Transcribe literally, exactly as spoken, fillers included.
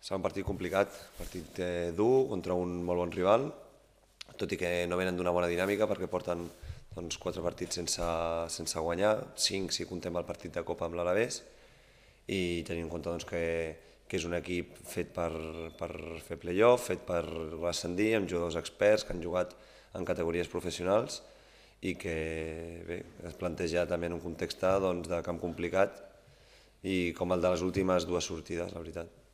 Serà un partit complicat, un partit eh, dur contra un molt bon rival, tot i que no venen d'una bona dinàmica perquè porten doncs, quatre partits sense, sense guanyar, cinc si contem el partit de Copa amb l'Alavés, i tenint en compte doncs, que, que és un equip fet per, per fer play-off, fet per ascendir, amb jugadors experts que han jugat en categories professionals i que bé, es planteja també en un context doncs, de camp complicat i com el de les últimes dues sortides, la veritat.